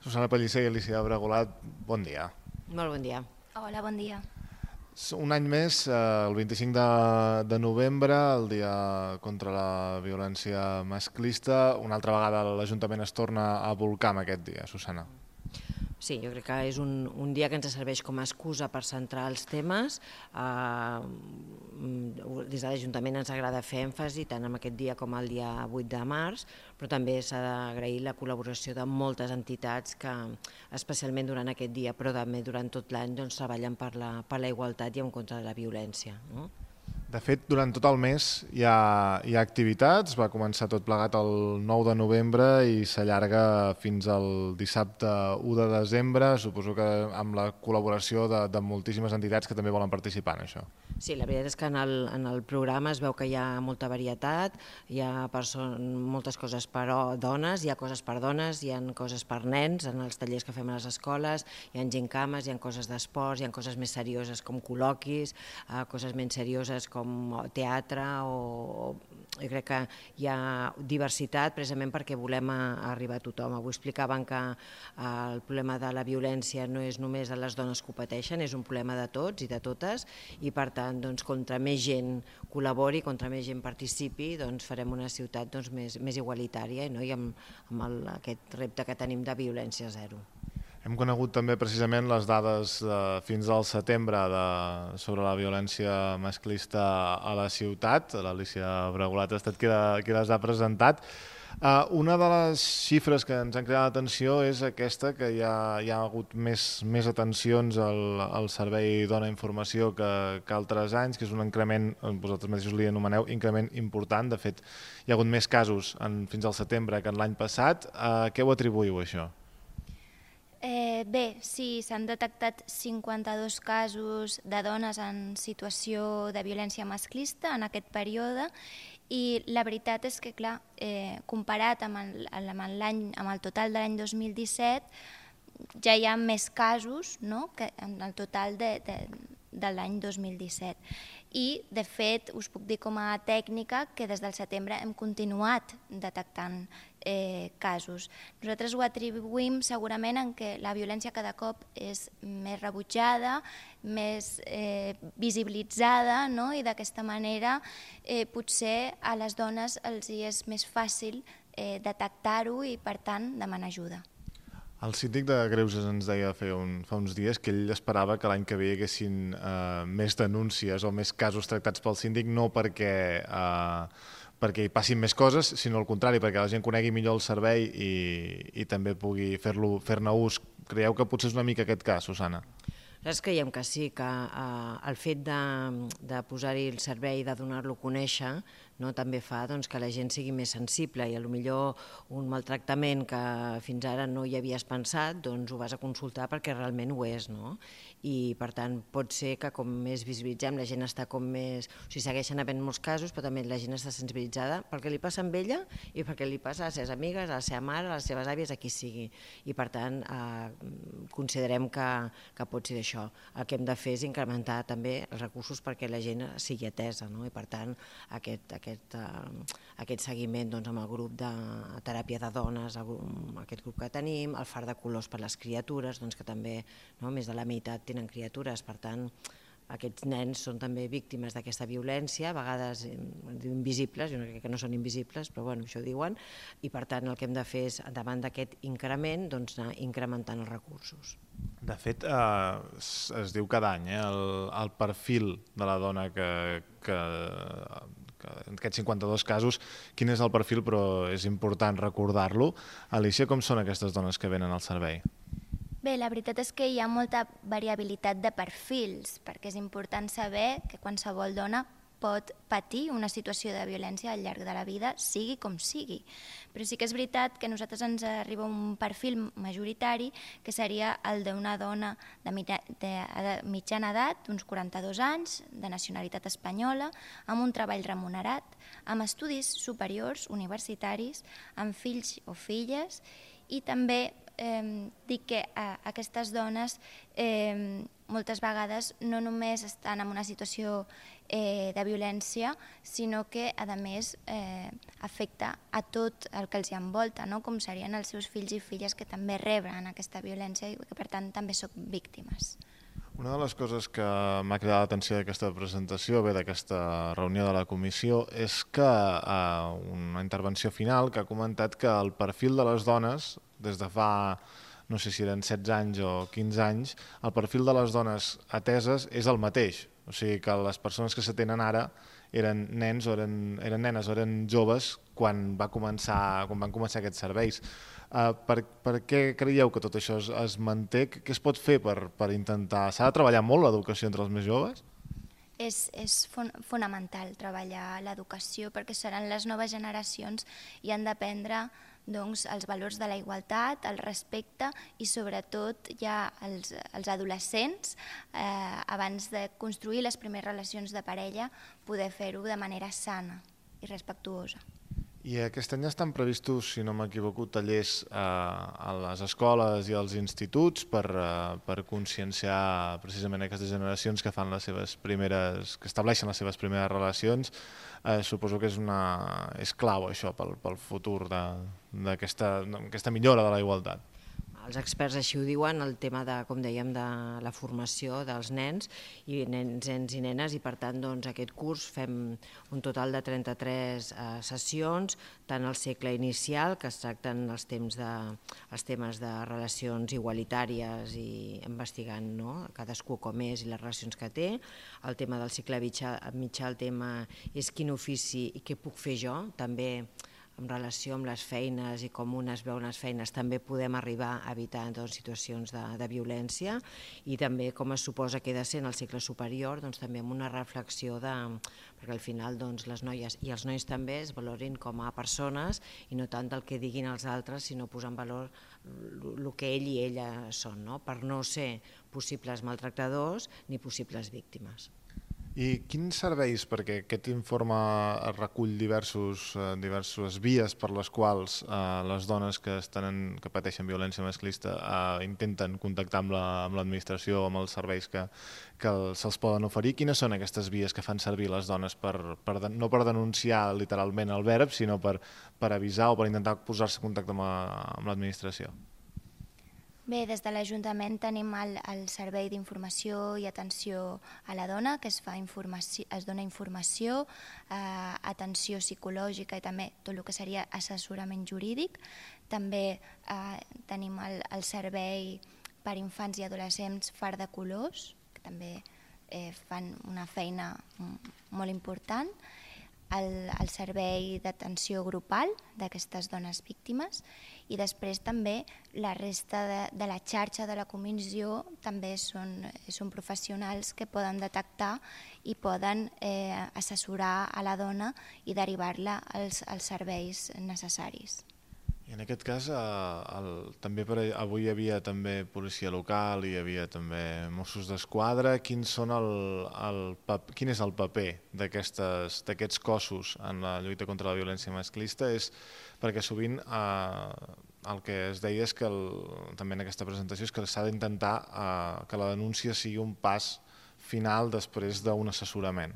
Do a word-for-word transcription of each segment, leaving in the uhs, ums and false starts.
Susana Pellicer i Alicia Bregolat, bon dia. Molt bon dia. Hola, bon dia. Un any més, el vint-i-cinc de novembre, el dia contra la violència masclista. Una altra vegada l'Ajuntament es torna a volcar amb aquest dia, Susana. Sí, jo crec que és un, un dia que ens serveix com a excusa per centrar els temes. Uh, des de l'Ajuntament ens agrada fer èmfasi tant en aquest dia com el dia vuit de març, però també s'ha d'agrair la col·laboració de moltes entitats que, especialment durant aquest dia, però també durant tot l'any, doncs, treballen per la, per la igualtat i en contra de la violència. No? De fet, durant tot el mes hi ha, hi ha activitats, va començar tot plegat el nou de novembre i s'allarga fins al dissabte u de desembre, suposo que amb la col·laboració de, de moltíssimes entitats que també volen participar en això. Sí, la veritat és que en el, en el programa es veu que hi ha molta varietat, hi ha moltes coses per dones, hi ha coses per dones, hi ha coses per nens, en els tallers que fem a les escoles, hi ha gincames, hi ha coses d'esports, hi ha coses més serioses com col·loquis, eh, coses menys serioses com teatre, o jo crec que hi ha diversitat precisament perquè volem arribar a tothom. Avui explicaven que el problema de la violència no és només de les dones que ho pateixen, és un problema de tots i de totes, i per tant, doncs, contra més gent col·labori, contra més gent participi, doncs farem una ciutat doncs, més, més igualitària, no? I amb, amb el, aquest repte que tenim de violència zero. Hem conegut també precisament les dades eh, fins al setembre de, sobre la violència masclista a la ciutat. L'Alicia Bregolat ha estat qui, qui les ha presentat. Uh, una de les xifres que ens han cridat l'atenció és aquesta, que hi ha, hi ha hagut més, més atencions al, al Servei Dona Informació que, que altres anys, que és un increment, vosaltres mateixos li anomeneu, increment important. De fet, hi ha hagut més casos en, fins al setembre que en l'any passat. Uh, què ho atribuïu, això? Eh, bé, sí, s'han detectat cinquanta-dos casos de dones en situació de violència masclista en aquest període, i la veritat és que, clar, eh, comparat amb el, amb l'any, amb el total de l'any dos mil disset, ja hi ha més casos, no?, que en el total de, de, de l'any dos mil disset. I, de fet, us puc dir com a tècnica que des del setembre hem continuat detectant eh, casos. Nosaltres ho atribuïm segurament en què la violència cada cop és més rebutjada, més eh, visibilitzada, no? I d'aquesta manera eh, potser a les dones els hi és més fàcil eh, detectar-ho i, per tant, demanar ajuda. El síndic de Greuges ens deia fa, un, fa uns dies que ell esperava que l'any que ve hi haguessin eh, més denúncies o més casos tractats pel síndic, no perquè, eh, perquè hi passin més coses, sinó al contrari, perquè la gent conegui millor el servei i, i també pugui fer-lo, fer-ne ús. Creieu que potser és una mica aquest cas, Susana? Nosaltres creiem que sí, que eh, el fet de, de posar-hi el servei, de donar-lo a conèixer, no, també fa doncs, que la gent sigui més sensible, i potser un maltractament que fins ara no hi havies pensat, doncs ho vas a consultar perquè realment ho és. No? I per tant pot ser que com més visibilitzem, la gent està com més... O sigui, segueixen havent molts casos, però també la gent està sensibilitzada pel que li passa amb ella i perquè li passa a les seves amigues, a la seva mare, a les seves àvies, a qui sigui. I per tant eh, considerem que, que pot ser això. El que hem de fer és incrementar també els recursos perquè la gent sigui atesa, no? I per tant aquest, aquest Aquest, uh, aquest seguiment doncs, amb el grup de teràpia de dones, el grup, aquest grup que tenim, el far de colors per les criatures, doncs, que també no, més de la meitat tenen criatures, per tant aquests nens són també víctimes d'aquesta violència, a vegades invisibles, jo no crec que no són invisibles, però bueno, això ho diuen, i per tant el que hem de fer és, davant d'aquest increment, doncs, anar incrementant els recursos. De fet, eh, es, es diu cada any, eh, el, el perfil de la dona que, que, que en aquests cinquanta-dos casos, quin és el perfil, però és important recordar-lo. Alicia, com són aquestes dones que venen al servei? Bé, la veritat és que hi ha molta variabilitat de perfils, perquè és important saber que qualsevol dona pot patir una situació de violència al llarg de la vida, sigui com sigui. Però sí que és veritat que a nosaltres ens arriba un perfil majoritari que seria el d'una dona de mitjana edat, d'uns quaranta-dos anys, de nacionalitat espanyola, amb un treball remunerat, amb estudis superiors universitaris, amb fills o filles, i també eh, dic que eh, aquestes dones eh, moltes vegades no només estan en una situació eh, de violència, sinó que, a més, eh, afecta a tot el que els envolta, no? Com serien els seus fills i filles que també reben aquesta violència i que, per tant, també són víctimes. Una de les coses que m'ha cridat l'atenció d'aquesta presentació, bé, d'aquesta reunió de la comissió, és que a una intervenció final que ha comentat que el perfil de les dones, des de fa, no sé si eren setze anys o quinze anys, el perfil de les dones ateses és el mateix. O sigui que les persones que s'atenen ara eren nens o eren, eren nenes o eren joves quan, va començar, quan van començar aquests serveis. Uh, per, per què creieu que tot això es, es manté? Què es pot fer per, per intentar... S'ha de treballar molt l'educació entre els més joves? És, és fon, fonamental treballar l'educació perquè seran les noves generacions i han d'aprendre doncs, els valors de la igualtat, el respecte i sobretot ja els, els adolescents, eh, abans de construir les primeres relacions de parella, poder fer-ho de manera sana i respectuosa. I aquest any estan previstos, si no m'equivoco, tallers eh, a les escoles i als instituts per, eh, per conscienciar precisament aquestes generacions que fan les seves primeres, que estableixen les seves primeres relacions. Eh, suposo que és, una, és clau això pel, pel futur d'aquesta millora de la igualtat. Els experts així ho diuen, el tema de, com dèiem, de la formació dels nens i nens, nens i nenes, i per tant doncs, aquest curs fem un total de trenta-tres eh, sessions, tant al segle inicial, que es tracten els, temps de, els temes de relacions igualitàries i investigant, no?, cadascú com és i les relacions que té. El tema del cicle mitjà, mitjà el tema és quin ofici i què puc fer jo, també en relació amb les feines i com un es veu en les feines, també podem arribar a evitar doncs, situacions de, de violència, i també com es suposa que ha de ser en el cicle superior, doncs, també amb una reflexió de, perquè al final doncs, les noies i els nois també es valorin com a persones i no tant del que diguin els altres, sinó posar en valor el que ell i ella són, no? Per no ser possibles maltractadors ni possibles víctimes. I quins serveis, perquè aquest informe recull diversos, eh, diverses vies per les quals eh, les dones que, estan, que pateixen violència masclista eh, intenten contactar amb l'administració, la, amb els serveis que, que se'ls poden oferir. Quines són aquestes vies que fan servir les dones, per, per, no per denunciar literalment el verb, sinó per, per avisar o per intentar posar-se en contacte amb l'administració? Bé, des de l'Ajuntament tenim el, el servei d'informació i atenció a la dona, que es, fa informació, es dona informació, eh, atenció psicològica i també tot el que seria assessorament jurídic. També eh, tenim el, el servei per infants i adolescents Far de Colors, que també eh, fan una feina molt important. El, el servei d'atenció grupal d'aquestes dones víctimes, i després també la resta de, de la xarxa de la comissió també són, són professionals que poden detectar i poden eh, assessorar a la dona i derivar-la als, als serveis necessaris. I en aquest cas, eh, el, també per, avui hi havia també policia local, hi havia també Mossos d'Esquadra. Quin, són el, el, quin és el paper d'aquests cossos en la lluita contra la violència masclista? És perquè sovint eh, el que es deia és que, el, també en aquesta presentació, és que s'ha d'intentar eh, que la denúncia sigui un pas final després d'un assessorament.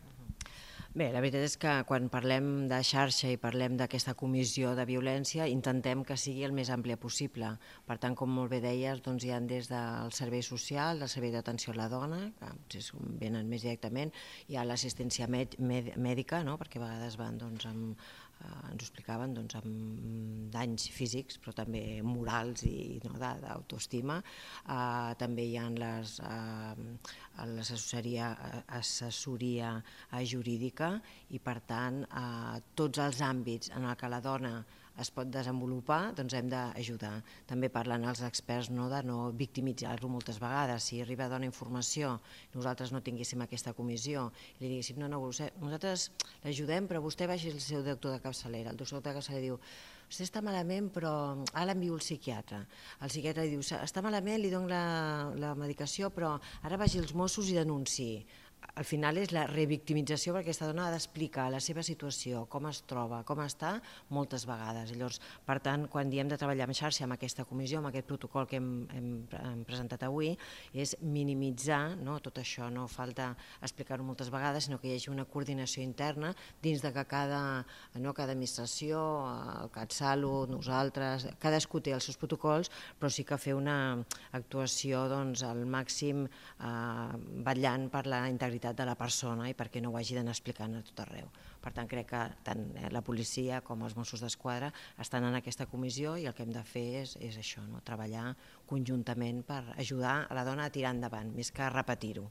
Bé, la veritat és que quan parlem de xarxa i parlem d'aquesta comissió de violència, intentem que sigui el més àmplia possible. Per tant, com molt bé deies, doncs hi ha des del servei social, del servei d'atenció a la dona, que potser venen més directament, hi ha l'assistència mèdica, no? Perquè a vegades van doncs, amb, eh, ens ho explicaven, doncs, amb danys físics, però també morals i no, d'autoestima. Eh, també hi ha les, eh, l'assessoria assessoria jurídica, i per tant eh, tots els àmbits en què la dona es pot desenvolupar, doncs hem d'ajudar. També parlen els experts no, de no victimitzar-lo moltes vegades. Si arriba a donar informació, nosaltres no tinguéssim aquesta comissió, i li diguéssim, no, no, nosaltres l'ajudem, però vostè vagi al seu doctor de capçalera. El doctor de capçalera diu, vostè està malament, però ara l'envio al psiquiatre. El psiquiatre diu, està malament, li dono la, la medicació, però ara vagi als Mossos i denunciï. al final és la revictimització, perquè aquesta dona ha d'explicar la seva situació, com es troba, com està, moltes vegades. Llavors, per tant, quan diem de treballar en xarxa amb aquesta comissió, amb aquest protocol que hem, hem, hem presentat avui, és minimitzar, no, tot això. No falta explicar-ho moltes vegades, sinó que hi hagi una coordinació interna dins de que cada, no, cada administració, el CatSalut, nosaltres, cadascú té els seus protocols, però sí que fer una actuació doncs, al màxim eh, vetllant per la integritat de la persona i perquè no ho hagi d'anar explicant a tot arreu. Per tant, crec que tant la policia com els Mossos d'Esquadra estan en aquesta comissió i el que hem de fer és, és això, no? Treballar conjuntament per ajudar a la dona a tirar endavant, més que repetir-ho.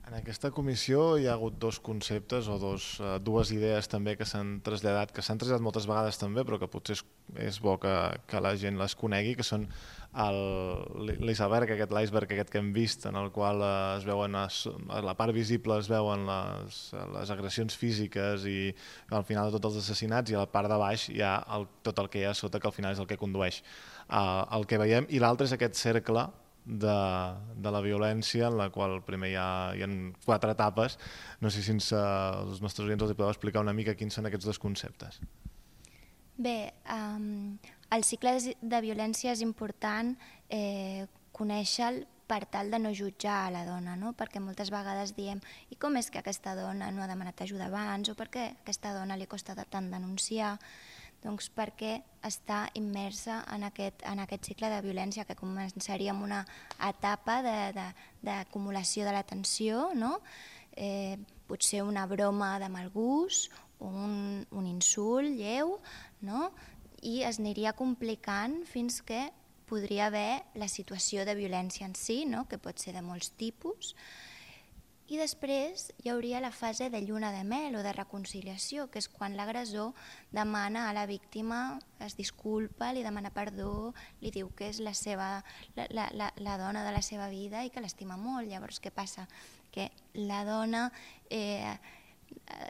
En aquesta comissió hi ha hagut dos conceptes o dos, uh, dues idees també que s'han traslladat, que s'han traslladat moltes vegades també, però que potser és, és bo que, que la gent les conegui, que són l'iceberg, aquest l'iceberg aquest que hem vist, en el qual uh, es veuen a, a la part visible es veuen les, les agressions físiques i al final de tots els assassinats, i a la part de baix hi ha el, tot el que hi ha sota, que al final és el que condueix uh, el que veiem, i l'altre és aquest cercle De, de la violència, en la qual primer hi ha, hi ha quatre etapes. No sé si ens, uh, els nostres oients els podeu explicar una mica quins són aquests dos conceptes. Bé, um, el cicle de violència és important eh, conèixer-lo per tal de no jutjar a la dona, no? Perquè moltes vegades diem i com és que aquesta dona no ha demanat ajuda abans, o per què a aquesta dona li costa tant denunciar? Doncs perquè està immersa en aquest, en aquest cicle de violència, que començaria amb una etapa d'acumulació de, de, de l'atenció, no? eh, potser una broma de mal gust, un, un insult lleu, no? I es aniria complicant fins que podria haver la situació de violència en si, no? Que pot ser de molts tipus. I després hi hauria la fase de lluna de mel o de reconciliació, que és quan l'agressor demana a la víctima, es disculpa, li demana perdó, li diu que és la, seva, la, la, la, la dona de la seva vida i que l'estima molt. Llavors, què passa? Que la dona eh,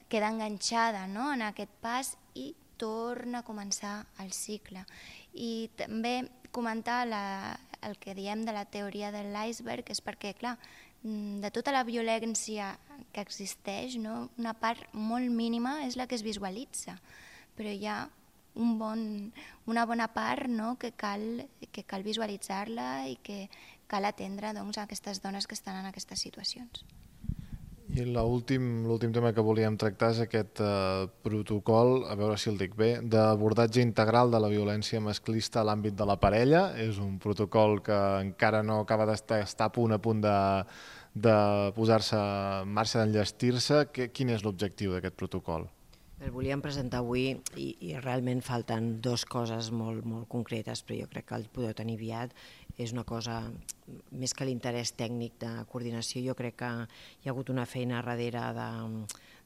queda enganxada, no?, en aquest pas i torna a començar el cicle. I també comentar la, el que diem de la teoria de l'iceberg és perquè, clar, de tota la violència que existeix, no? Una part molt mínima és la que es visualitza, però hi ha un bon, una bona part, no? que, cal, que cal visualitzar-la i que cal atendre, doncs, a aquestes dones que estan en aquestes situacions. I l'últim l'últim tema que volíem tractar és aquest eh, protocol, a veure si el dic bé, d'abordatge integral de la violència masclista a l'àmbit de la parella. És un protocol que encara no acaba d'estar a punt a punt de, de posar-se en marxa, d'enllestir-se. Quin és l'objectiu d'aquest protocol? El volíem presentar avui i, i realment falten dues coses molt, molt concretes, però jo crec que el podeu tenir aviat. És una cosa, més que l'interès tècnic de coordinació, jo crec que hi ha hagut una feina darrere de,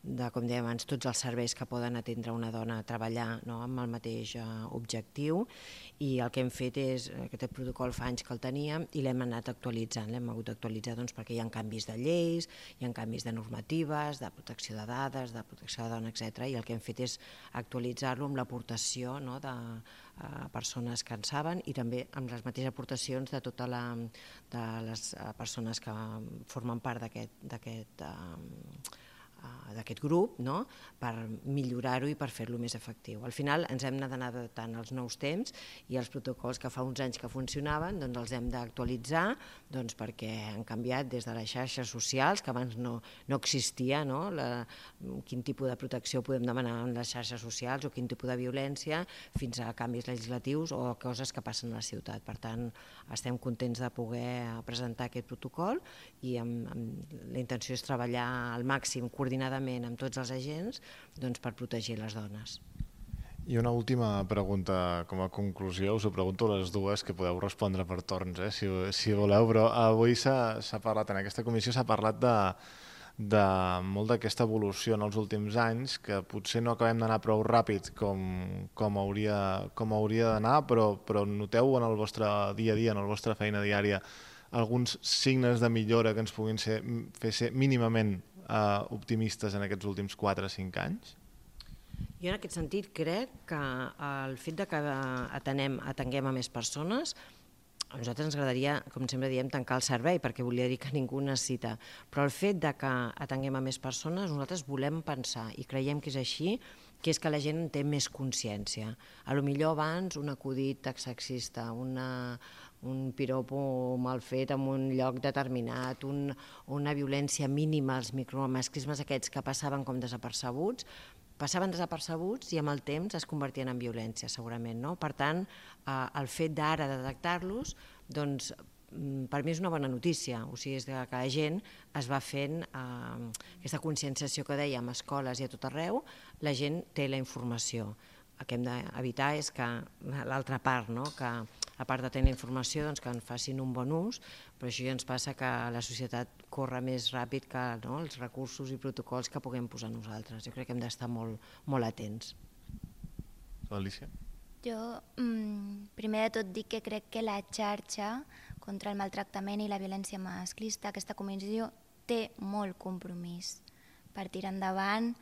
de com dèiem abans, tots els serveis que poden atendre una dona a treballar, no?, amb el mateix uh, objectiu, i el que hem fet és, aquest protocol fa anys que el teníem i l'hem anat actualitzant, l'hem hagut d'actualitzar doncs, perquè hi ha canvis de lleis, hi ha canvis de normatives, de protecció de dades, de protecció de dona, etcètera, i el que hem fet és actualitzar-lo amb l'aportació, no?, de uh, persones que en saben i també amb les mateixes aportacions de totes la, de les persones que formen part d'aquest d'aquest uh, d'aquest grup, no?, per millorar-ho i per fer-lo més efectiu. Al final ens hem d'anar adaptant als nous temps i els protocols que fa uns anys que funcionaven doncs els hem d'actualitzar doncs perquè han canviat des de les xarxes socials, que abans no, no existia, no?, la, quin tipus de protecció podem demanar en les xarxes socials o quin tipus de violència, fins a canvis legislatius o coses que passen a la ciutat. Per tant, estem contents de poder presentar aquest protocol i amb, amb la intenció és treballar al màxim coordinadament amb tots els agents doncs, per protegir les dones. I una última pregunta com a conclusió, us ho pregunto a les dues, que podeu respondre per torns, eh, si, si voleu, però avui s'ha parlat, en aquesta comissió s'ha parlat de, de molt d'aquesta evolució en els últims anys, que potser no acabem d'anar prou ràpid com, com hauria, com hauria d'anar, però, però noteu en el vostre dia a dia, en la vostra feina diària, alguns signes de millora que ens puguin ser, fer ser mínimament Uh, optimistes en aquests últims quatre o cinc anys? Jo en aquest sentit crec que el fet de que atenem, atenguem a més persones A nosaltres ens agradaria, com sempre diem, tancar el servei, perquè volia dir que ningú necessita. Però el fet de que atenguem a més persones, nosaltres volem pensar, i creiem que és així, que és que la gent en té més consciència. A lo millor abans un acudit sexista, una, un piropo mal fet en un lloc determinat, un, una violència mínima, els micromasclismes aquests que passaven com desapercebuts, passaven desapercebuts i amb el temps es convertien en violència, segurament. No? Per tant, eh, el fet d'ara de detectar-los, doncs, per mi és una bona notícia, o sigui, és que la gent es va fent eh, aquesta conscienciació que dèiem a escoles i a tot arreu, la gent té la informació. El que hem d'evitar és que l'altra part, no? Que a part de tenir informació, doncs, que en facin un bon ús, però això ja ens passa que la societat corre més ràpid que no? Els recursos i protocols que puguem posar nosaltres. Jo crec que hem d'estar molt, molt atents. Alicia? Jo, primer de tot, dic que crec que la xarxa contra el maltractament i la violència masclista, aquesta comissió té molt compromís per tirar endavant,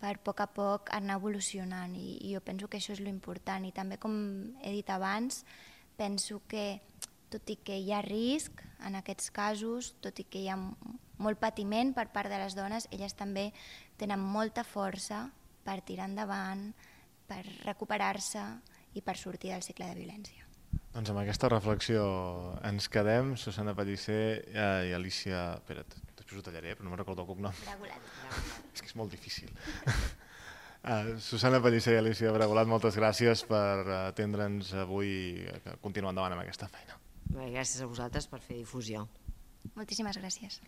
per a poc a poc anar evolucionant, i jo penso que això és l'important. I també, com he dit abans, penso que tot i que hi ha risc en aquests casos, tot i que hi ha molt patiment per part de les dones, elles també tenen molta força per tirar endavant, per recuperar-se i per sortir del cicle de violència. Doncs amb aquesta reflexió ens quedem. Susana Pellicer i Alicia... Espera't, després ho tallaré, però no me'n recordo el cognom. Bragulat. És que és molt difícil. Uh, Susana Pellicer i Alicia Bragulat, moltes gràcies per atendre'ns avui i continuar endavant amb aquesta feina. Bé, gràcies a vosaltres per fer difusió. Moltíssimes gràcies.